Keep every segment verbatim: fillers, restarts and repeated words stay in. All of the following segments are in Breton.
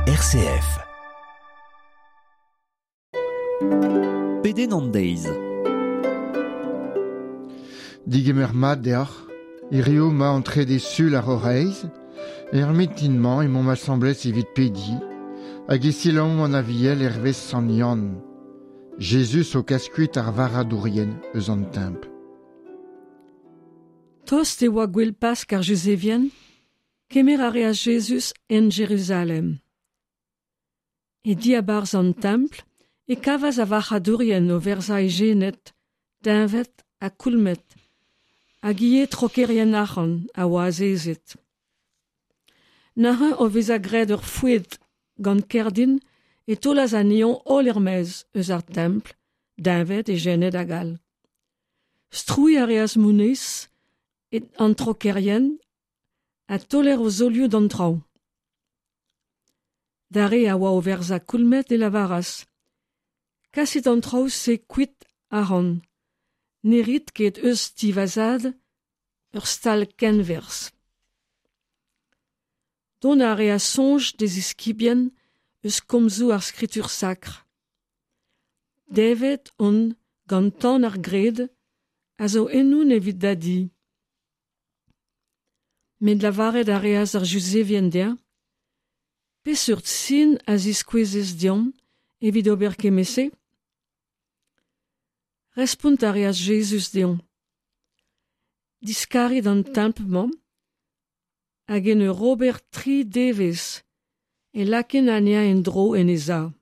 R C F. Pedenn an deiz. Digemer mat deoc'h, hirio ma an trede sul ar C'horaiz, er mintin-mañ emaomp asambles evit pediñ, hag e selaomp an Aviel hervez Sant Yann. Jezuz o kas kuit ar varc'hadourien eus an templ. Tost e oa gwell Pask ar Juzevien, kemer a reas Jezuz en Jeruzalem. E diabarzh an templ e kavas ar varc'hadourien o verzañ ejened, deñved ha koulmed, hag ivez trokerien arc'hant a oa azezet. Neuze o vezañ graet ur foued gant kerdin e taolas anezho holl er-maez eus ar templ, deñved, ejened hag all. Strouilh a reas moneiz an trokerien ha taoler o zaolioù d'an traoñ. D'ar re a oa o verzañ koulmed e lavaras: Kasit an traoù-se kuit ac'hann, ne rit ket eus ti va zad ur stal kenwerzh. Dont a reas soñj d'e ziskibien eus komzoù ar skritur sakr. Devet on gant tan ar gred a zo ennon evit da di. Met lavaret a reas ar Juzevien dezhañ: Peseurt sin a ziskouezez deomp evit ober kement-se? Respont a reas Jezuz dezhañ: Diskarit an templ-mañ, hag en ur ober tri devezh e lakain anezhañ en-dro en e sav.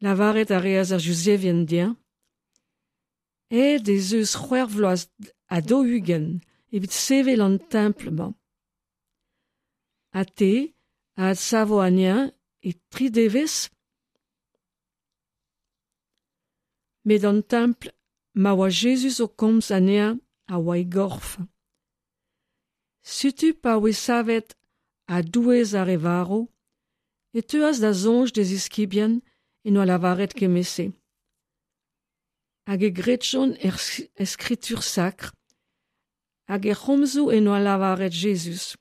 Lavaret a reas ar Juzevien dezhañ: Aet ez eus c'hwec'h vloaz ha daou-ugent evit sevel an templ-mañ. Ha te a adsavo anezhañ e tri devezh? Met an templ ma oa Jezuz o komz anezhañ a oa e gorf. Setu pa oa savet a-douez ar re varv, e teuas da soñj d'e ziskibien en doa lavaret kement-se. Hag e gredjont er skritur sakr, hag er c'homzoù en doa lavaret Jezuz.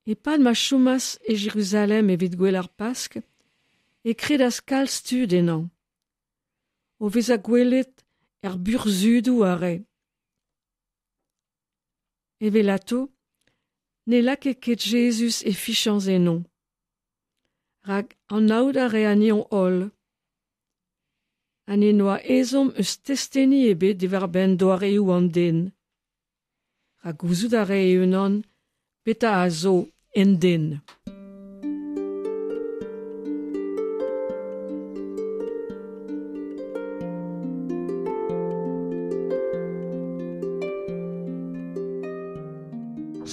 E-pad ma chomas e Jeruzalem evit gouel ar Pask, e kredas kalz tud ennañ, o vezañ gwelet er burzhudoù a rae. Evelato, ne lakae ket Jezuz e fiziañs enno, rak anaout a rae anezho holl, ha n'en doa ezhomm eus testeni ebet diwar-benn doareoù an den, rak gouzout a rae e-unan petra a zo en den.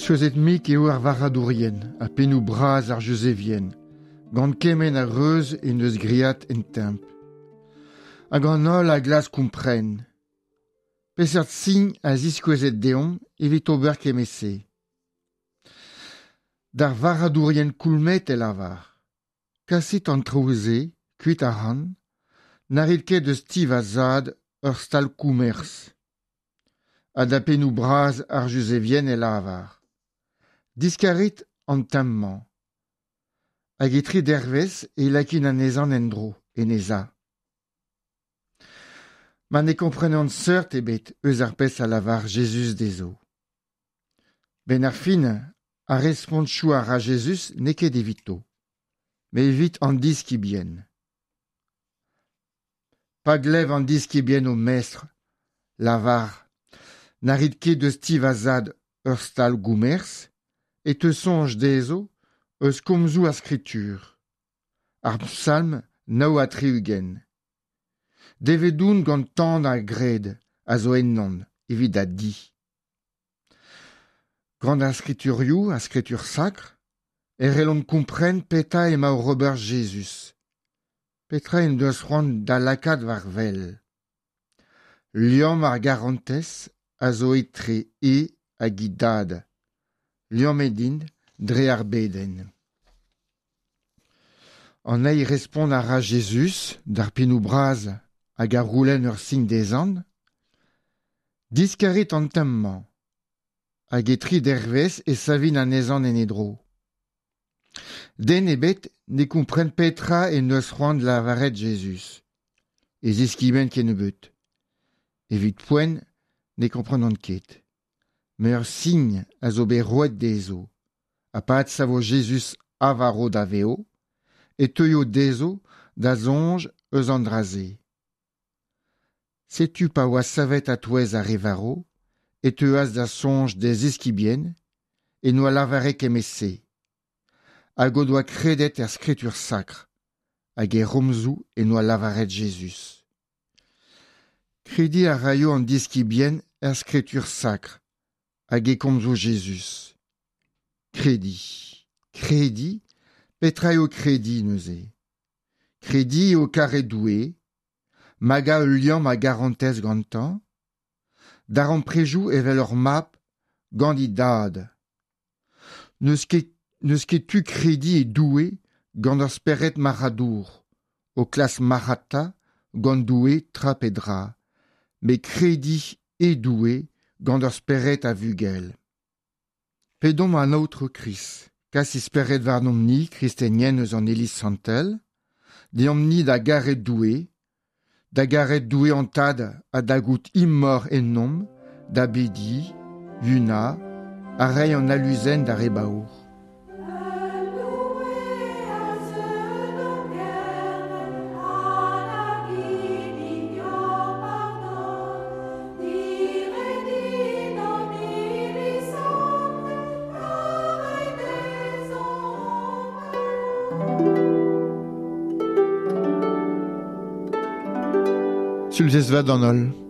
Souezhet-mik eo ar varc'hadourien ha pennoù bras ar Juzevien, gant kement a reuz en deus graet en templ. Hag an holl a glask kompren. Peseurt sin a ziskouezet deomp evit ober kement-se. D'ar varc'hadourien koulmed e lavar: Kasit an traoù-se, kuit ac'hann, na rit ket eus ti va zad ur stal komerz. Ha da pennoù bras ar Juzevien e lavar: Diskarit an templ-mañ, hag e tri dervezh e lakin anezhañ en-dro, en e sav. Ma ne komprenont seurt ebet eus ar pezh a lavar Jezuz dezho. Ben ar fin, ar respontoù a ra Jezuz n'eo ket evito, met evit an diskibien. Pa glev an diskibien o mestr, lavar: Na rit ket eus ti va zad ur stal goumerz, e teu soñj dezho eus komzoù ar skritur. Ar psalm nav ha tri-ugent. Devet on gant tan ar gred a zo ennon evit da di. Gant ar skriturioù, ar skritur sakr, e c'hellont kompren petra emañ oc'h ober Jezuz. Petra en deus c'hoant da lakaat war wel. Liamm ar garantez a zo etre e hag e dad. Liammet int dre ar bedenn. An eil respont a ra Jezuz d'ar pennoù bras hag a c'houlenn ur sin dezhañ: Diskarit an templ-mañ, hag e tri dervez e savin anezhan en e dro. Den ebet ne kompren petra e neus c'hoant lavaret Jezuz. E ziskiben kennebeut. Evit poent ne komprenont ket. Meur sign a zo bet roet dezho. Ha pad savo Jezuz avaro da veo, e teuio dezho da soñj eus an dra-se. Setu pa oa savet a-touez ar re varo, e teuas da soñj d'e ziskibien, e noa lavaret kement-se. Hag o doa kredet er skritur sakr, hag e romzoù e noa lavaret Jezuz. Krediñ a raio an diskibien er skritur sakr, hag e komzo Jezuz. Krediñ, krediñ, petra eo krediñ neuze? Krediñ eo karet Doue, magañ ul liamm a garantez gantañ, darempredoù evel ur mab gant e dad. N'eus ket, n'eus ket tu krediñ e Doue gant ur spered marc'hadour, o klask marc'hata gant Doue tra pe dra, met krediñ e Doue gant ur spered a vugel. Pedomp an Aotrou Krist, kas e spered warnomp-ni, kristenien eus an Iliz Santel, deomp-ni da garet Doue, da garet Doue an Tad ha da gaout imor ennomp, da bediñ, yunañ, ha reiñ an aluzen d'ar re baour. Sulvezh vat d'an holl.